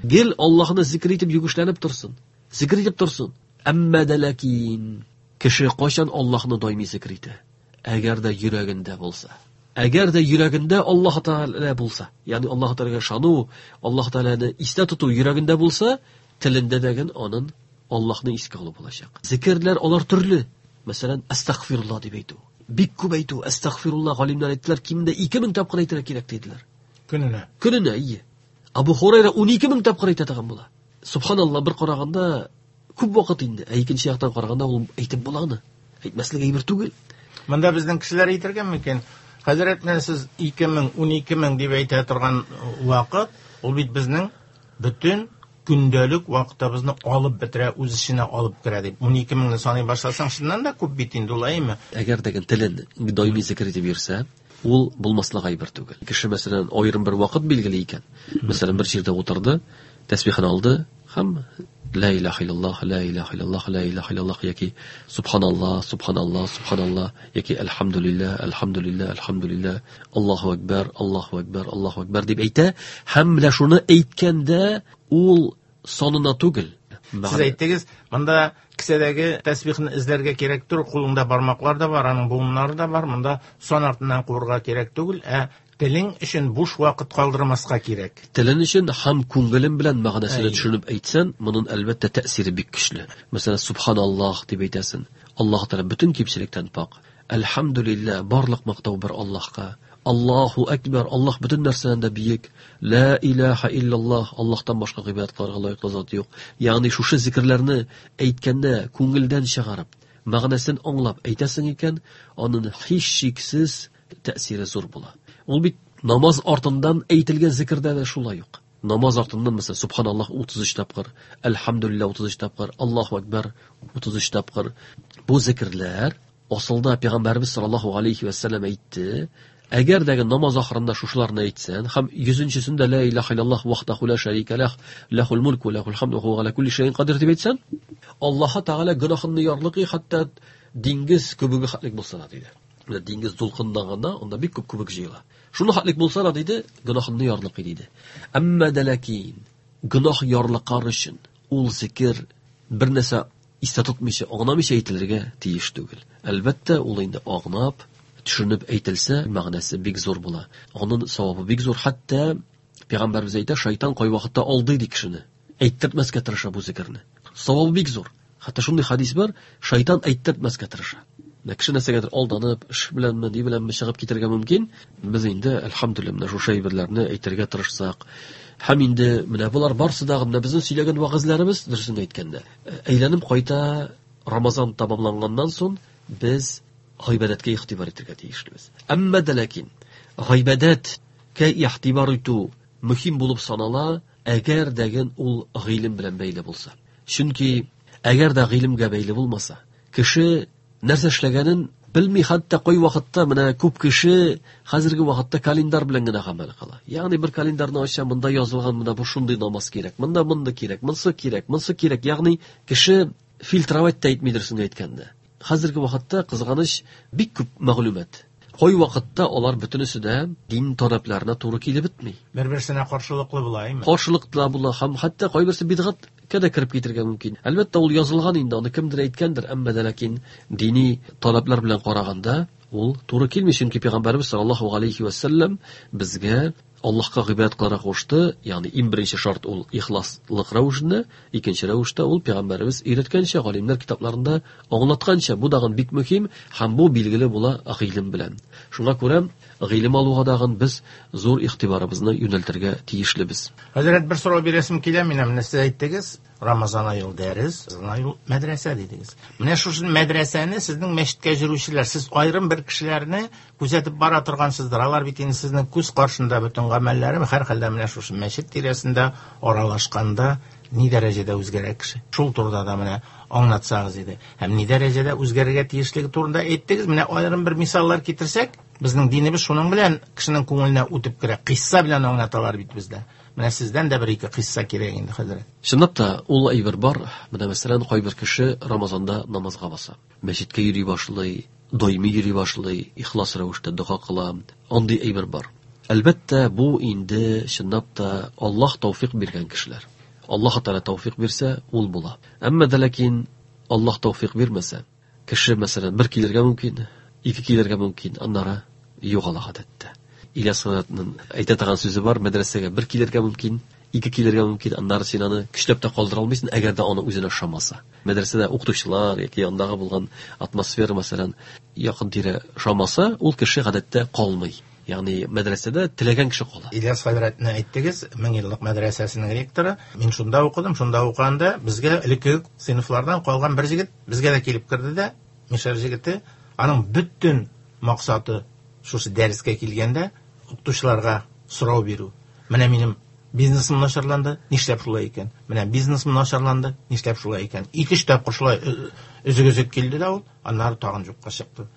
Гел Аллаһны зикр итеп йөгешләнеп торсын. Зикр итеп торсын. Әмма дә ләкин кеше кайчан Аллаһны даими зикр итә? Әгәр дә йөрәгендә булса. Әгәр дә йөрәгендә Аллаһ Тәгалә булса, ягъни Аллаһ Тәгаләгә ышану, Аллаһ Тәгаләне истә тоту йөрәгендә булса, телендә дә аның Аллаһны искә алу булачак. Зикерләр алар төрле. Мәсәлән, астагфируллаһ дип әйтү. Бик күп әйтү, астагфируллаһ галимнәр әйттеләр, кимендә 2000 тапкыр әйтергә кирәк диделәр. Көненә. Көненә, ие. Абу Хурайра 12000 тапкыр әйтә торган була. Субханаллаһ, бер караганда күп вакыт инде, ә икенче яктан караганда ул әйтеп була аны. Әйтмәслек әйбер түгел. Монда безнең кешеләр әйтергә мөмкин. Хәзрәт, менә сез 2000, 12000 дип әйтә торган вакыт, ул бит безнең бөтен көндәлек вакытыбызны алып бетерә, үз эченә алып керә дип. 12000-не саный башласаң, чыннан да күп бит инде ул, әйеме? Әгәр дә телен даими зикр итеп йөрсә, ул булмаслык әйбер түгел. Кеше, мәсәлән, аерым бер вакыт билгеле икән. Мәсәлән, бер җирдә утырды, тәсбихын алды һәм Ла илаһа иллаллаһ, ла илаһа иллаллаһ, ла илаһа иллаллаһ яки субханаллаһ, субханаллаһ, субханаллаһ яки әлхәмдүлилләһ, әлхәмдүлилләһ, әлхәмдүлилләһ, Аллаһу акбар, Аллаһу акбар, Аллаһу акбар дип әйтә. Һәм менә шуны әйткәндә ул санына түгел. Сез әйттегез, монда кесәдәге тәсбихне эзләргә кирәк түгел, кулыңда бармаклар да бар, аның буыннары да бар, монда сан артыннан куырга кирәк түгел, ә телең өчен буш вакыт калдырмаска кирәк. Телең өчен һәм күңелең белән мәгънәсен төшенеп әйтсәң, моның әлбәттә тәэсире бик көчле. Мәсәлән, субханаллаһ дип әйтәсең. Аллаһ Тәгалә бөтен кимчелектән пак. Әлхәмдүлилләһ, барлык мактау бер Аллаһка. Аллаһу акбар, Аллаһ бөтен нәрсәдән дә бөек. Ла илаһа иллаллаһ, Аллаһтан башка гыйбадәт кылырга лаеклы зат юк. Ягъни шушы зикерләрне әйткәндә күңелдән чыгарып, мәгънәсен аңлап әйтәсең икән, аның һичшиксез тәэсире зур була. Ул бит намаз артыннан әйтелгән зикердә дә шулай ук. Намаз артыннан мәсәлән, субханаллаһ 33 тапкыр, әлхәмдүлилләһ 33 тапкыр, Аллаһу акбар 33 тапкыр. Бу зикерләр асылда Пәйгамбәрбез саллаллаһу алейхи ва сәлләм әйтте, әгәр дә намаз ахырында шушыларны әйтсәң һәм 100нчесендә ла илаһа иллаллаһ вахдаху ла шәрика лах, лахул мулку ва лахул хамду ва хуа ала кулли шәйин кадир дип әйтсәң, Аллаһ Тәгалә гөнаһыңны ярлыкый, хәтта диңгез күбеге хәтлек булса да диде. Менә диңгез дулкынланганда анда бик күп күбек җыела. Шуны хәтлек булса да диде, гөнаһыңны ярлыкый диде. Әмма дә ләкин гөнаһ ярлыкар өчен ул зикер бер нәрсә истә тотмыйча, аңламыйча әйтелергә тиеш түгел. Әлбәттә, ул инде аңлап, төшенеп әйтелсә, мәгънәсе бик зур була. Аның савабы бик зур. Хәтта Пәйгамбәрбез әйтә, шайтан кайвакытта алдый ди кешене. Әйттертмәскә тырыша бу зикерне. Савабы бик зур. Хәтта шундый хадис бар, шайтан әйттертмәскә тырыша. Менә кеше нәрсәгәдер алданып, эш беләнме, ни беләнме чыгып китәргә мөмкин. Без инде, әлхәмдүлилләһ, менә шушы әйберләрне әйтергә тырышсак, һәм инде менә болар барысы да менә безнең сөйләгән вәгазьләребез, дөресен әйткәндә, әйләнеп кайта Рамазан тәмамланганнан соң без гыйбадәткә игътибар итәргә тиешлебез. Әмма дә ләкин гыйбадәткә игътибар итү мөһим булып санала, әгәр дәген ул гыйлем белән бәйле булса. Чөнки әгәр дә гыйлемгә бәйле булмаса, кеше нәрсә эшләгәнен белми, хәтта кай вакытта менә күп кеше хәзерге вакытта календарь белән генә гамәл кыла. Ягъни бер календарьны ача, монда язылган менә бу шундый намаз кирәк, монда монда кирәк, монсы кирәк, монсы кирәк. Ягъни кеше фильтровать та итми дөресен әйткәндә. Хәзерге вакытта кызганыч бик күп мәгълүмат. Кай вакытта алар бөтенесе дә дин таләпләренә туры килеп бетми. Бер-берсенә каршылыклы була, әйме? Каршылыклы була һәм хәтта кайберсе бидгатькә дә кереп китергә мөмкин. Әлбәттә, ул язылган инде, аны кемдер әйткәндер, әмма дә ләкин дини таләпләр белән караганда ул туры килми, чөнки Пәйгамбәрбез саллаллаһу алейхи ва сәлләм безгә Аллаһка гыйбадәт кылырга кушты, ягъни иң беренче шарт ул ихласлык рәвешендә, икенче рәвештә ул Пәйгамбәребез өйрәткәнчә, галимнәр китапларында аңлатканча, бу дагын бик мөһим һәм бу билгеле була гыйлем белән. Шуңа күрә гыйлем алуга дагын без зур игътибарыбызны юнәлтергә тиешлебез. Хәзрәт, бер сорау бирәсем килә, менә менә сез әйттегез, Рамазан ае ул дәрес, Рамазан ае ул мәдрәсә дидегез. Менә шушы мәдрәсәне сезнең мәчеткә йөрүчеләр, сез аерым бер кешеләрне күзәтеп бара торгансыздыр. Алар бит инде сезнең күз каршында бөтен гамәлләре, һәрхәлдә менә шушы мәчет тирәсендә аралашканда ни дәрәҗәдә үзгәрә кеше. Шул турыда да менә аңлатсагыз иде. Һәм ни дәрәҗәдә үзгәрергә тиешлеге турында әйттегез. Менә аерым бер мисаллар китерсәк, безнең динебез шуның белән кешенең күңеленә үтеп керә. Кыйсса белән аңлаталар бит бездә. Менә сездән дә бер-ике кыйсса кирәк инде, хәзрәт. Чынлап та, ул әйбер бар. Менә мәсәлән, кайбер кеше Рамазанда намазга баса. Мәчеткә йөри башлый, даими йөри башлый, ихлас рәвештә дога кыла. Андый әйбер бар. Әлбәттә, бу инде чынлап та Аллаһ тәүфик биргән кешеләр. Аллаһ Тәгалә тәүфик бирсә, ул була. Әмма дә ләкин Аллаһ тәүфик бирмәсә, кеше, мәсәлән, бер килергә мөмкин, ике килергә мөмкин, аннары югала гадәттә. Ильяс хәзрәтнең әйтә торган сүзе бар, мәдрәсәгә бер килергә мөмкин, ике килергә мөмкин, аннары син аны көчләп тә калдыра алмыйсың, әгәр дә аны үзенә ошамаса. Мәдрәсәдә укытучылар яки андагы булган атмосфера, мәсәлән, якын тирә ошамаса, ул кеше гадәттә калмый. Ягъни мәдрәсәдә теләгән кеше кала. Ильяс хәзрәтне әйттегез, меңьеллык мәдрәсәсенең ректоры. Мин шунда укыдым, шунда укыганда безгә элеккеге сыйныфлардан калган бер җегет безгә дә килеп керде дә, мишәр җегете, аның бөтен максаты шушы дәрескә килгәндә укытучыларга сорау бирү. Менә минем бизнесым начарланды, нишләп шулай икән? Менә бизнесым начарланды, нишләп шулай икән? Ике-өч тапкыр шулай өзек-өзек килде дә ул, аннары тагын юкка чыкты.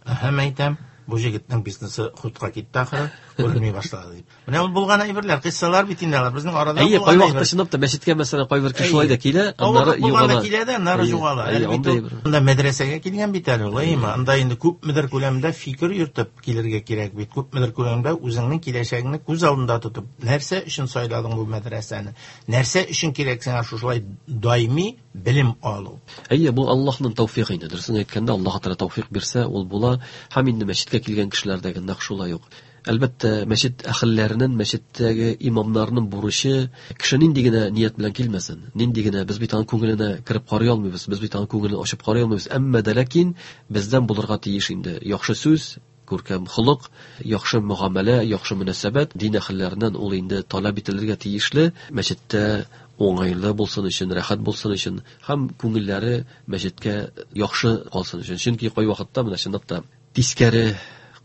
Һәм әйтәм, бу җегетнең бизнесы хутка китте ахыры. Күренми башлады дип. Менә ул булган әйберләр, кыйссалар бит инде алар безнең арада Әйе, кайвакытта чынлап та мәчеткә мәсәлән кайбер кеше шулай да килә, аннары югала. Килә дә, аннары югала. Әле бит анда мәдрәсәгә килгән бит әле ул, әйеме? Анда инде күпмедер күләмдә фикер йөртеп килергә кирәк бит. Күпмедер күләмдә үзеңнең киләчәгеңне күз алдында тотып, нәрсә өчен сайладың бу мәдрәсәне? Нәрсә өчен кирәк сиңа шушылай даими белем алу? Әйе, бу Аллаһның тәүфигы инде. Дөресен әйткәндә, Аллаһ Тәгалә тәүфик бирсә, ул була. Һәм инде мәчеткә килгән кешеләрдәге нәкъ шулай ук. Әлбәттә, мәчет әһелләренең, мәчеттәге имамнарның бурычы кеше нинди генә ният белән килмәсен, нинди генә без бит аның күңеленә кереп карый алмыйбыз, без бит аның күңелен ачып карый алмыйбыз. Әмма дә ләкин бездән булырга тиеш инде яхшы сүз, күркәм холык, яхшы мөгамәлә, яхшы мөнәсәбәт дин әһелләреннән ул инде таләп ителергә тиешле. Мәчеттә уңайлы булсын өчен, рәхәт булсын өчен һәм күңелләре мәчеткә яхшы калсын өчен. Чөнки кайвакытта менә чынлап та тискәре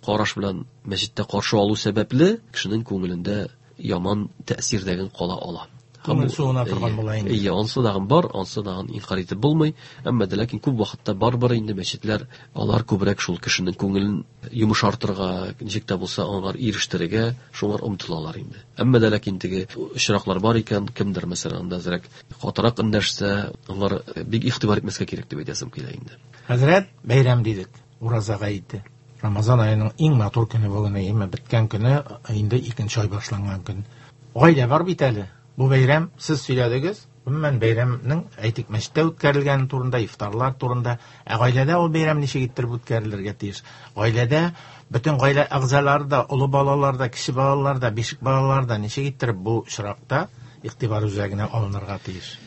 караш белән мәчеттә каршы алу сәбәпле кешенең күңелендә яман тәэсир дәген кала ала. Күңел суына торган була инде. Әйе, ансы дагын бар, ансы дагын инкар итеп булмый. Әмма дә ләкин күп вакытта барыбер инде мәчетләр алар күбрәк шул кешенең күңелен йомшартырга, ничек тә булса аңар ирештерергә шуңар омтылалар инде. Әмма дә ләкин теге очраклар бар икән, кемдер мәсәлән анда әзрәк катырак эндәшсә, аңар бик игътибар итмәскә кирәк дип әйтәсем килә инде. Хәзрәт, бәйрәм дидек, ураза гаете. Рамазан аеның иң матур көне бүген, әйеме, беткән көне, инде икенче ай башланган көн. Гаилә бар бит әле. Бу бәйрәм, сез сөйләдегез, гомумән бәйрәмнең, әйтик, мәчеттә үткәрелгәне турында, ифтарлар турында. Ә гаиләдә ул бәйрәм ничек иттереп үткәрелергә тиеш? Гаиләдә бөтен гаилә әгъзалары да, олы балалар да, кече балалар да, бишек балалар да ничек иттереп бу очракта игътибар үзәгенә алынырга тиеш?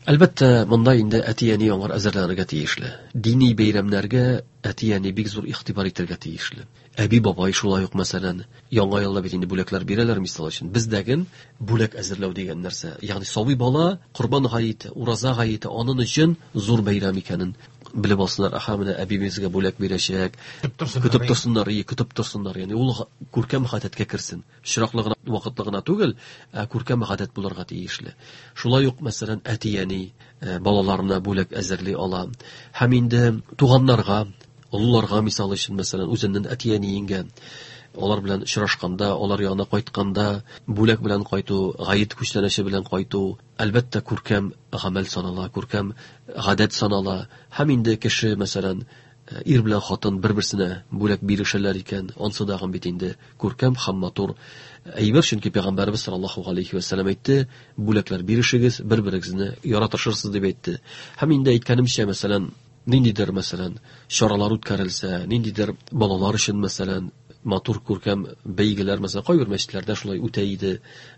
Әлбәттә, монда инде әти-әни аңар әзерләнергә тиешле. Дини бәйрәмнәргә әти-әни бик зур игътибар итәргә тиешле. Әби-бабай шулай ук, мәсәлән, яңа елда бит инде бүләкләр бирәләр, мисал өчен. Бездәген бүләк әзерләү дигән нәрсә. Ягъни сабый бала Корбан гаете, ураза гаете аның өчен зур бәйрәм икәнен белеп алсыннар. Аһа, менә әбибезгә бүләк бирәчәк. Көтеп торсыннар, көтеп торсыннар. Ягъни ул күркәм гадәткә керсен. Очраклы гына, вакытлы гына түгел, ә күркәм гадәт булырга тиешле. Шулай ук, мәсәлән, әти-әни балаларына бүләк әзерли ала. Һәм инде туганнарга, олыларга, мисал өчен, мәсәлән, үзенең әти-әниеңгә алар белән очрашканда, алар янына кайтканда бүләк белән кайту, гает күчтәнәче белән кайту, әлбәттә, күркәм гамәл санала, күркәм гадәт санала. Һәм инде кеше, мәсәлән, ир белән хатын бер-берсенә бүләк бирешәләр икән, ансы дагын бит инде күркәм һәм матур әйбер, чөнки Пәйгамбәребез саллаллаһу алейхи ва сәлләм әйтте, бүләкләр бирешегез, бер-берегезне яратышырсыз дип әйтте. Һәм инде әйткәнемчә, мәсәлән, ниндидер, мәсәлән, чаралар үткәрелсә, ниндидер балалар өчен, мәсәлән, матур күркәм бәйгеләр, мәсәлән, кайбер мәчетләрдә шулай үтә иде.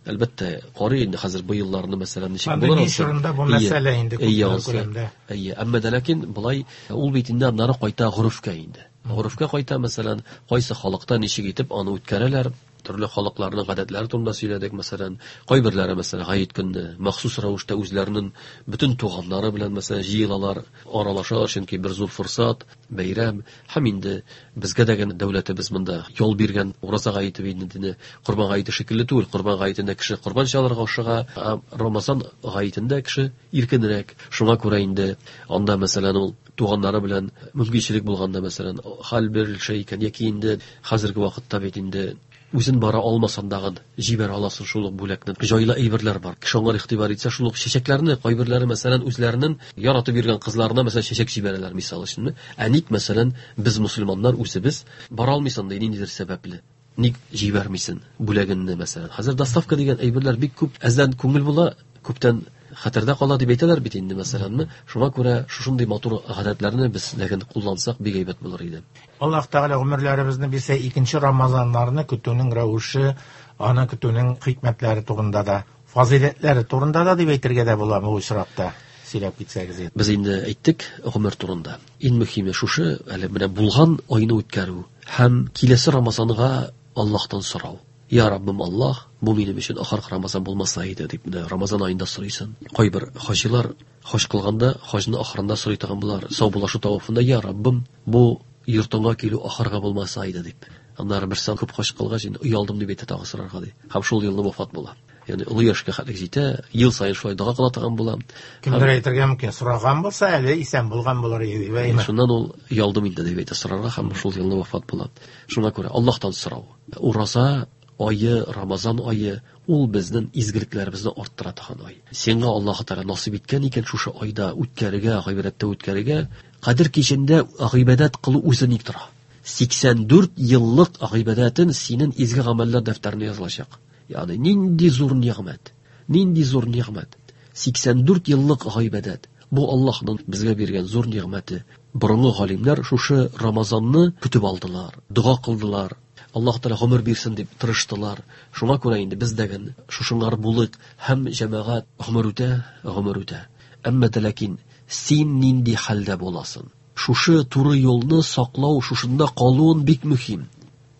Әлбәттә, карый инде хәзер бу елларны, мәсәлән, ничек булыр. Пандемия чорында бу мәсьәлә инде күп күләмдә. Әйе, әмма дә ләкин болай ул бит инде аннары кайта горефкә инде. Горефкә кайта, мәсәлән, кайсы халыкта ничек итеп аны үткәрәләр, төрле халыкларның гадәтләре турында сөйләдек, мәсәлән, кайберләре, мәсәлән, гает көнне махсус рәвештә үзләренең бөтен туганнары белән, мәсәлән, җыелалар, аралашалар, чөнки бер зур форсат, бәйрәм. Һәм инде безгә дә генә дәүләтебез монда ял биргән ураза гаете инде Корбан гаете шикелле түгел. Корбан гаетендә кеше корбан чалырга ашыга, ә Рамазан гаетендә кеше иркенрәк. Шуңа күрә инде анда, мәсәлән, ул туганнары белән мөмкинчелек булганда, мәсәлән, хәл бирелшә икән, яки инде хәзерге вакытта бит инде үзен бара алмасан дагын җибәрә аласың шул ук бүләкне. Җайлы әйберләр бар. Кеше аңар игътибар итсә, шул ук чәчәкләрне, кайберләре, мәсәлән, үзләренең яратып йөргән кызларына, мәсәлән, чәчәк җибәрәләр, мисал өчен. Ә ник, мәсәлән, без мусульманнар үзебез бара алмыйсың ди ниндидер сәбәпле. Ник җибәрмисең бүләгеңне, мәсәлән? Хәзер доставка дигән әйберләр бик күп. Әздән күңел була, күптән хәтердә кала дип әйтәләр бит инде, мәсәләнме. Шуңа күрә шушындый матур гадәтләрне без ләкин куллансак бик әйбәт булыр иде. Аллаһ Тәгалә гомерләребезне бирсә, икенче Рамазаннарны көтүнең рәвеше, аны көтүнең хикмәтләре турында да, фазыйләтләре турында да дип әйтергә дә була бу очракта. Сөйләп китсәгез инде. Без инде әйттек гомер турында. Иң мөһиме шушы, әле менә булган айны үткәрү һәм киләсе Рамазанга Аллаһтан сорау. Я Раббым Аллаһ, бу минем өчен ахыргы Рамазан булмаса иде дип менә Рамазан аенда сорыйсың. Кайбер хаҗилар хаҗ кылганда, хаҗны ахырында сорый торган булар. Саубуллашу тавафында, Я Раббым, бу йортыңа килү ахыргы булмаса иде дип. Аннары бер сан күп хаҗ кылгач, инде оялдым дип әйтә тагы сорарга ди. Һәм шул елны вафат була. Ягъни олы яшькә хәтлек җитә, ел саен шулай дога кыла торган була. Кемдер әйтергә мөмкин, сораган булса, әле исән булган булыр иде дип, әйме? Шуннан ул оялдым инде дип әйтә сорарга һәм шул елны вафат була. Шуңа күрә Аллаһтан сорау. Ураза айы, Рамазан айы, ул безнең изгелекләребезне арттыра торган ай. Сиңа Аллаһ Тәгалә насыйп иткән икән шушы айда үткәрергә, гыйбадәттә үткәрергә, Кадер кичендә гыйбадәт кылу үзе ник тора? 84 еллык гыйбадәтен синең изге гамәлләр дәфтәренә язылачак. Ягъни нинди зур нигъмәт, нинди зур нигъмәт. 84 еллык гыйбадәт. Бу Аллаһның безгә биргән зур нигъмәте. Борынгы галимнәр шушы Рамазанны көтеп алдылар, дога кылдылар. Аллаһ Тәгалә гомер бирсен дип тырыштылар. Шуңа күрә инде без дә шушыңар булыйк һәм җәмәгать гомер үтә, гомер үтә. Әмма дә ләкин син нинди хәлдә буласың? Шушы туры юлны саклау, шушында калуын бик мөһим.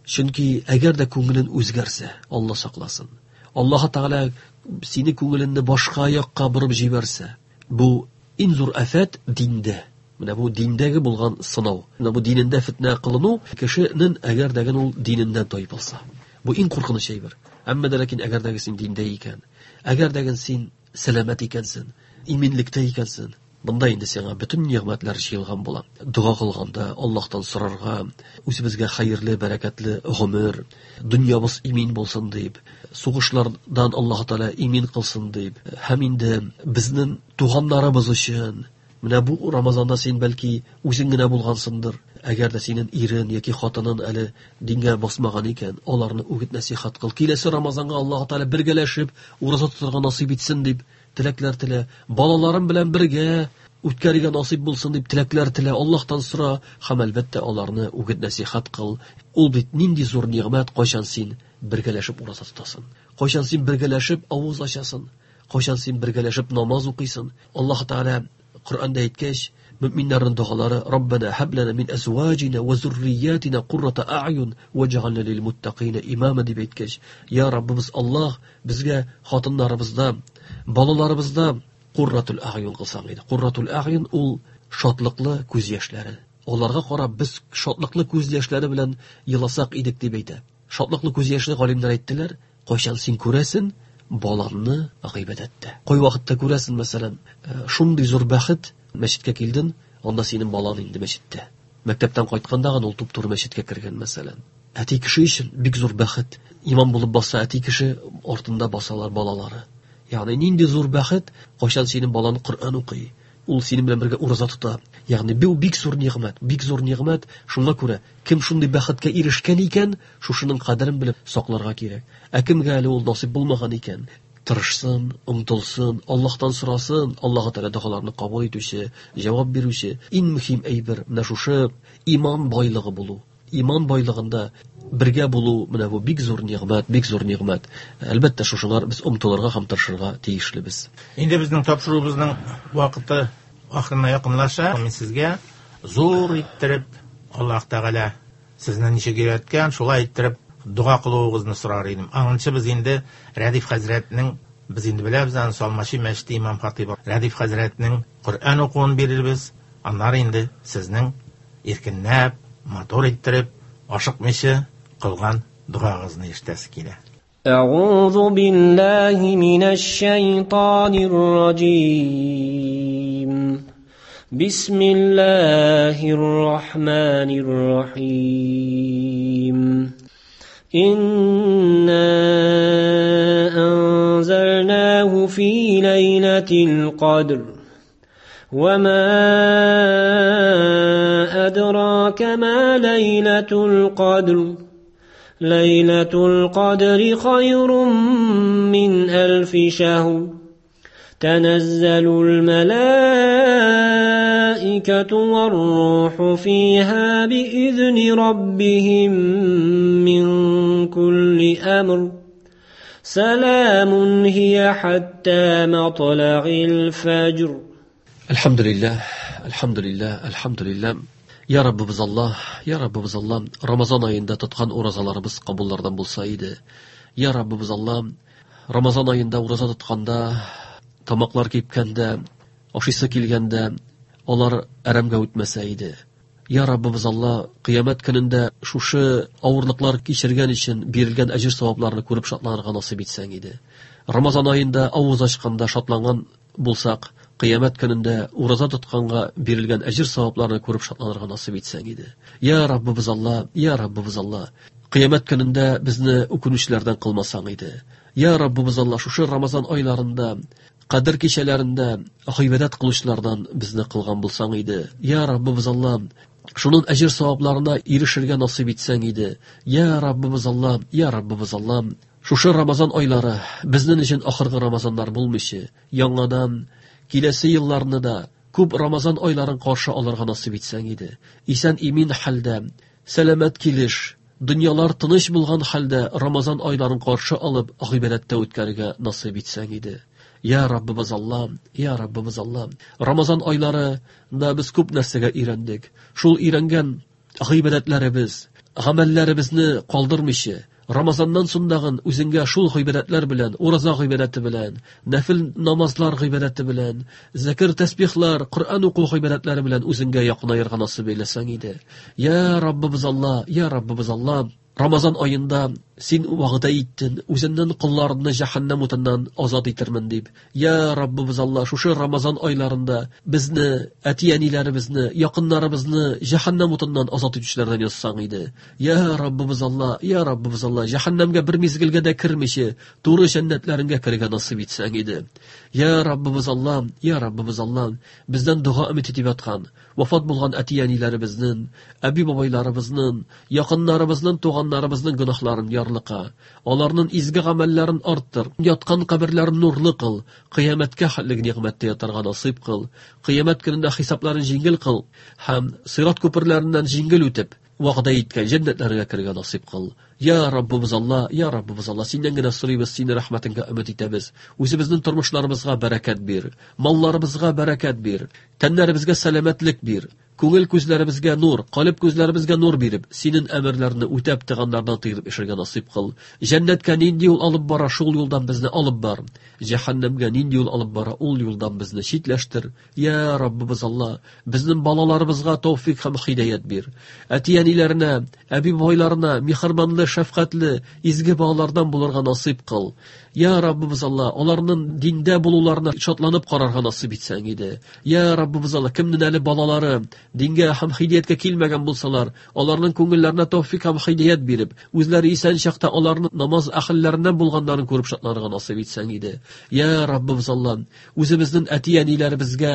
Чөнки әгәр дә күңелен үзгәрсә, Алла сакласын. Аллаһ Тәгалә сине күңелеңне башка якка борып җибәрсә, бу иң зур афәт диндә. Менә бу диндәге булган сынау. Менә бу динендә фитнә кылыну кешенең әгәр дә ул диненнән тайпылса. Бу иң куркыныч әйбер. Әмма дә ләкин әгәр дә син диндә икән, әгәр дә син сәламәт икәнсең, иминлектә икәнсең, Бында инде сиңа бөтен нигъмәтләр җыелган була. Дога кылганда Аллаһтан сорарга, үзебезгә хәерле, бәрәкәтле гомер, дөньябыз имин булсын дип, сугышлардан Аллаһ Тәгалә имин кылсын дип, һәм инде безнең туганнарыбыз өчен. Менә бу Рамазанда син бәлки үзең генә булгансыңдыр. Әгәр дә синең ирен яки хатынын әле дингә басмаган икән, аларны үгет нәсихәт кыл. Киләсе Рамазанга Аллаһ Тәгалә бергәләшеп ураза тотарга насыйп итсен дип теләкләр телә. Балаларым белән бергә үткәрергә насыйп булсын дип теләкләр телә. Аллаһтан сора һәм әлбәттә аларны үгет нәсихәт кыл. Ул бит нинди зур нигъмәт, кайчан син бергәләшеп ураза тотасың, кайчан син бергәләшеп авыз ачасың, кайчан син бергәләшеп намаз укыйсың. Аллаһ Тәгалә Коръәндә әйткәч, мөминнәрнең догалары: Раббана хаб лана мин әзваҗина ва зурриятина куррата а'юн ваҗ'ална лил муттакина имама дип әйткәч, я Раббыбыз Аллаһ, безгә хатыннарыбызда, балаларыбызда курратул а'юн кылсаң иде. Курратул а'юн ул шатлыклы күз яшьләре. Аларга карап без шатлыклы күз яшьләре белән еласак идек дип әйтә. Шатлыклы күз яшьле галимнәр әйттеләр, кайчан син күрәсен балаңны гыйбадәттә. Кай вакытта күрәсен, мәсәлән, шундый зур бәхет, мәчеткә килдең, анда синең балаң инде мәчеттә. Мәктәптән кайтканда гына ул туп-туры мәчеткә кергән, мәсәлән. Әти кеше өчен бик зур бәхет. Имам булып баса әти кеше, артында басалар балалары. Ягъни нинди зур бәхет, кайчан синең балаң Коръән укый, ул синең белән бергә ураза тота. Ягъни бу бик зур нигъмәт, бик зур нигъмәт. Шуңа күрә кем шундый бәхеткә ирешкән икән, шушының кадерен белеп сакларга кирәк. Ә кемгә әле ул насыйп булмаган икән, тырышсын, омтылсын, Аллаһтан сорасын, Аллаһ Тәгалә догаларны кабул итүче, җавап бирүче. Иң мөһим әйбер менә шушы иман байлыгы булу. Иман байлыгында бергә булу, менә бу бик зур нигъмәт, бик зур нигъмәт. Әлбәттә, шушыңар без омтылырга һәм тырышырга тиешлебез. Инде безнең тапшыруыбызның вакыты ахырына якынлаша. Мин сезгә зур иттереп Аллаһ Тәгалә сезне ничек өйрәткән, шулай иттереп дога кылуыгызны сорар идем. Аңынчы без инде Рәдиф хәзрәтнең, без инде беләбез аны, Салмачи мәчете имам хатибы Рәдиф хәзрәтнең Коръән укуын бирербез. Аннары инде сезнең иркенләп, матур иттереп, ашыкмыйча кылган догагызны ишетәсе килә. أعوذ بالله من الشيطان الرجيم. بسم الله الرحمن الرحيم. إنا أنزلناه في ليلة القدر وما أدراك ما ليلة القدر. ليلة القدر خير من 1000 شهر. تنزل الملائكة والروح فيها بإذن ربهم من كل أمر. سلام هي حتى مطلع الفجر. الحمد لله، الحمد لله، الحمد لله. Ya Rabbimiz Allah, Ya Rabbimiz Allah, Ramazan ayında tutkan orazalarımız kabullardan bulsaydı. Ya Rabbimiz Allah, Ramazan ayında oraza tutkanda, tamaklar kepkende, aşısı kelgende, olar aramga o'tmasaydi. Ya Rabbimiz Allah, kıyamet gününde şuşu ağırlıklar kechirgan için berilgan ajr savoblarni ko'rib shotlanirga nasib etsang edi. Ramazan ayında og'iz ochganda shotlangan bo'lsak, qiyomat kunida o'raza tutganga berilgan ajr savoblarni ko'rib shotlanirga nasib etsang edi. Ya Rabbimiz Allah, ya Rabbimiz Allah, Кыямәт көнендә безне үкенүчеләрдән кылмасаң иде. Я Раббыбыз Аллаһ, шушы Рамазан айларында, Кадер кичәләрендә гыйбадәт кылучылардан безне кылган булсаң иде. Я Раббыбыз Аллаһ, шуның әҗер савапларына ирешергә насыйп итсәң иде. Я Раббыбыз Аллаһ, я Раббыбыз Аллаһ, шушы Рамазан айлары безнең өчен ахыргы Рамазаннар булмыйча, яңадан киләсе елларны да күп Рамазан айларын каршы алырга насыйп итсәң иде. Исән имин хәлдә, сәламәт килеш, дөньялар тыныч булган хәлдә Рамазан айларын каршы алып, гыйбадәттә үткәрергә насыйп итсәң иде. Я Раббыбыз Аллаһ, я Раббыбыз Аллаһ. Рамазан айларында без күп нәрсәгә өйрәндек. Шул өйрәнгән гыйбадәтләребез, гамәлләребезне калдырмыйча, Рамазаннан соңдагын үзеңгә шул гыйбадәтләр белән, ураза гыйбадәте белән, нәфил намазлар гыйбадәте белән, зикр тәсбихлар, Коръән уку гыйбадәтләре белән үзеңгә якынаерга насыйп әйләсәң иде. Я Раббыбыз Аллаһ, я Раббыбыз Аллаһ, Рамазан аенда син вәгъдә иттең, үзеңнең колларыңны җәһәннәм утыннан азат итермен дип. Я Раббыбыз Аллаһ, шушы Рамазан айларында безне, әти-әниләребезне, якыннарыбызны җәһәннәм утыннан азат итүчеләрдән язсаң иде. Я Раббыбыз Аллаһ, я Раббыбыз Аллаһ, җәһәннәмгә бер мизгелгә дә кермичә, туры җәннәтләреңгә керергә насыйп итсәң иде. Я Раббыбыз Аллаһ, я Раббыбыз Аллаһ, бездән дога өмет итеп яткан, вафат булган әти-әниләребезнең, әби-бабайларыбызның, якыннарыбызның, туганнарыбызның гөнаһларын ярлыка, аларның изге гамәлләрен арттыр, яткан каберләрен нурлы кыл, кыямәткә хәтле нигъмәттә ятарга насыйп кыл, кыямәт көнендә хисапларын җиңел кыл һәм сират күперләреннән җиңел үтеп, вәгъдә иткән җәннәтләргә керергә насыйп кыл. Я Раббыбыз Аллаһ, я Раббыбыз Аллаһ, синнән генә сорыйбыз, синең рәхмәтеңгә өмет итәбез. Үзебезнең тормышларыбызга бәрәкәт бир, малларыбызга бәрәкәт бир, тәннәребезгә сәламәтлек бир, күңел күзләребезгә нур, калеб күзләребезгә нур биреп, синең әмерләреңне үтәп тыганнардан тыелып яшәргә насыйп кыл. Җәннәткә нинди юл алып бара, шул юлдан безне алып бар. Җәһәннәмгә нинди юл алып бара, ул юлдан безне читләштер. Я Раббыбыз Аллаһ, безнең балаларыбызга тәүфик һәм һидаят бир. Әти-әниләренә, әби-бабайларына миһербанлы, шәфкатьле, изге балалардан булырга насыйп кыл. Я Раббыбыз Аллаһ, аларның диндә булуларына шатланып карарга насыйп итсәң иде. Я Раббыбыз Аллаһ, кемнең әле балалары дингә һәм һидаятка килмәгән булсалар, аларның күңелләренә тәүфик һәм һидаят биреп, үзләре исән чакта аларның намаз әһелләреннән булганнарын күреп шатланырга насыйп итсәң иде. Я Раббыбыз Аллаһ, үзебезнең әти-әниләребезгә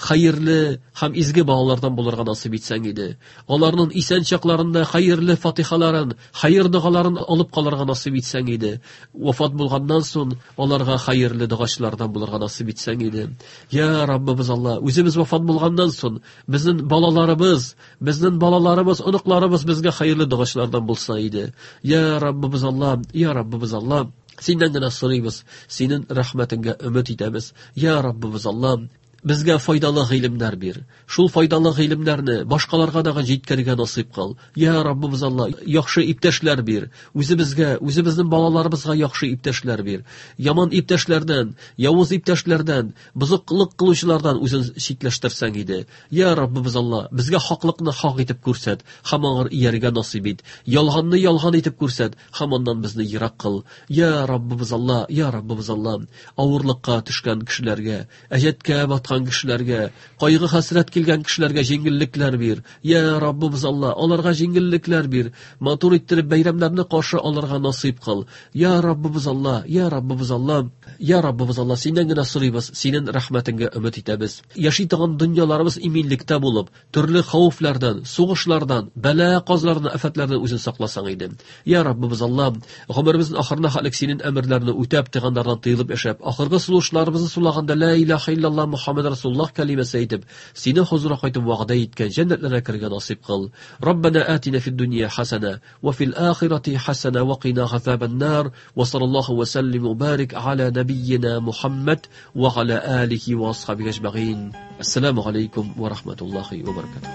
хәерле һәм изге балалардан булырга насыйп итсәң иде. Аларның исән чакларында хәерле фатихаларын, хәер догаларын алып калырга насыйп итсәң иде. Вафат булганнан соң аларга хәерле догачлардан булырга насыйп итсәң иде. Я Раббыбыз Аллаһ, үзебез вафат булганнан соң безнең балаларыбыз, безнең балаларыбыз, оныкларыбыз безгә хәерле догачлардан булса иде. Я Раббыбыз Аллаһ, я Раббыбыз Аллаһ, синнән генә сорыйбыз, синең рәхмәтеңгә өмет итәбез. Я Раббыбыз Аллаһ, безгә файдалы гыйлемнәр бир. Шул файдалы гыйлемнәрне башкаларга да җиткерергә насыйп кыл. Я Раббыбыз Аллаһ, яхшы иптәшләр бир. Үзебезгә, үзебезнең балаларыбызга яхшы иптәшләр бир. Яман иптәшләрдән, явыз иптәшләрдән, бозыклык кылучылардан үзен читләштерсәң иде. Я Раббыбыз Аллаһ, безгә хаклыкны хак итеп күрсәт, һәм аңар иярергә насыйп ит. Ялганны ялган итеп күрсәт, һәм аннан безне ерак кыл. Я Раббыбыз Аллаһ, я Раббыбыз Аллаһ, авырлыкка төшкән кешеләргә, әҗәткә баткан кешеләргә, кайгы хәсрәт килгән кешеләргә җиңеллекләр бир. Я Раббыбыз Аллаһ, аларга җиңеллекләр бир. Матур иттереп бәйрәмнәрне каршы алырга насыйп кыл. Я Раббыбыз Аллаһ, я Раббыбыз Аллаһ, я Раббыбыз Аллаһ, синнән генә сорыйбыз, синең рәхмәтеңгә өмет итәбез. Яши торган дөньяларыбыз иминлектә булып, төрле хәвефләрдән, сугышлардан, бәла казлардан, афәтләрдән үзен сакласаң иде. Я Раббыбыз Аллаһ, гомеребезнең ахырына хәтлек синең әмерләреңне үтәп, тыганнардан тыелып яшәп, ахыргы сулышларыбызны сулаганда ла илаһа иллаллаһ Мухаммад Расулуллаһ кәлимәсе әйтеп, синең хозурга кайтып вәгъдә иткән җәннәтләргә керергә насыйп кыл. Раббана атина фид дөнья хасана ва фил ахирати хасана ва кина азабан нар. Ва саллаллаху ва саллим ва барик аля набийина Мухаммад ва аля алихи ва асхабихи аҗмаин. Ассаламу алейкум ва рахматуллахи ва баракатуһ.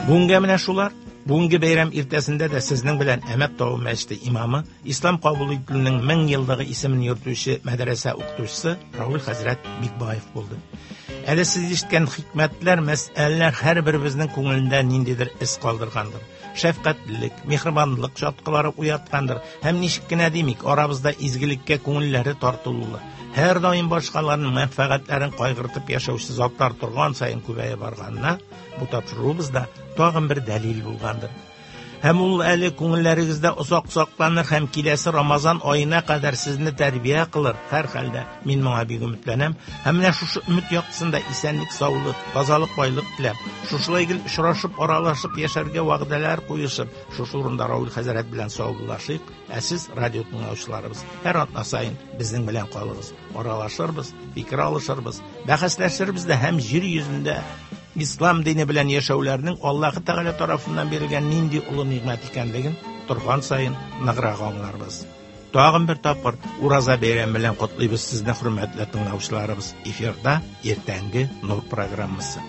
Бүгенгә менә шулар. Бүгенге бәйрәм иртәсендә дә сезнең белән Әмәт тавы мәчете имамы, Ислам кабул ителүнең 1000 еллыгы исемен йөртүче мәдрәсә укытучысы Рауль хәзрәт Бикбаев булды. Әле сез ишеткән хикмәтләр, мәсьәләләр һәрберебезнең күңелендә ниндидер эз калдыргандыр. шәфкатьлелек, миһербанлылык чаткылары уяткандыр. Һәм ничек кенә димик, арабызда изгелеккә күңелләре тартылулы, һәрдаим башкаларның мәнфәгатьләрен кайгыртып яшәүче затлар торган саен күбәя барганына бу тапшыруыбыз да тагын бер дәлил булгандыр. Һәм ул әле күңелләрегездә озак сакланыр һәм киләсе Рамазан аена кадәр сезне тәрбия кылыр. Һәр хәлдә мин моңа бик өметләнәм. Һәм менә шушы өмет яктысында исәнлек, саулык, тазалык, байлык теләп, шушылай гел очрашып, аралашып яшәргә вәгъдәләр куешып, шушы урында Рауль хәзрәт белән саубуллашыйк. Ә сез, радио тыңлаучыларыбыз, һәр атна саен безнең белән калыгыз. Аралашырбыз, фикер алышырбыз, бәхәсләшербез дә һәм җир йөзендә ислам дине белән яшәүләрнең Аллаһы Тәгалә тарафыннан бирелгән нинди олы нигъмәт икәнлеген торган саен ныграк аңларбыз. Тагын бер тапкыр Ураза бәйрәме белән котлыйбыз сезне, хөрмәтле тыңлаучыларыбыз. Эфирда иртәнге Нур программасы.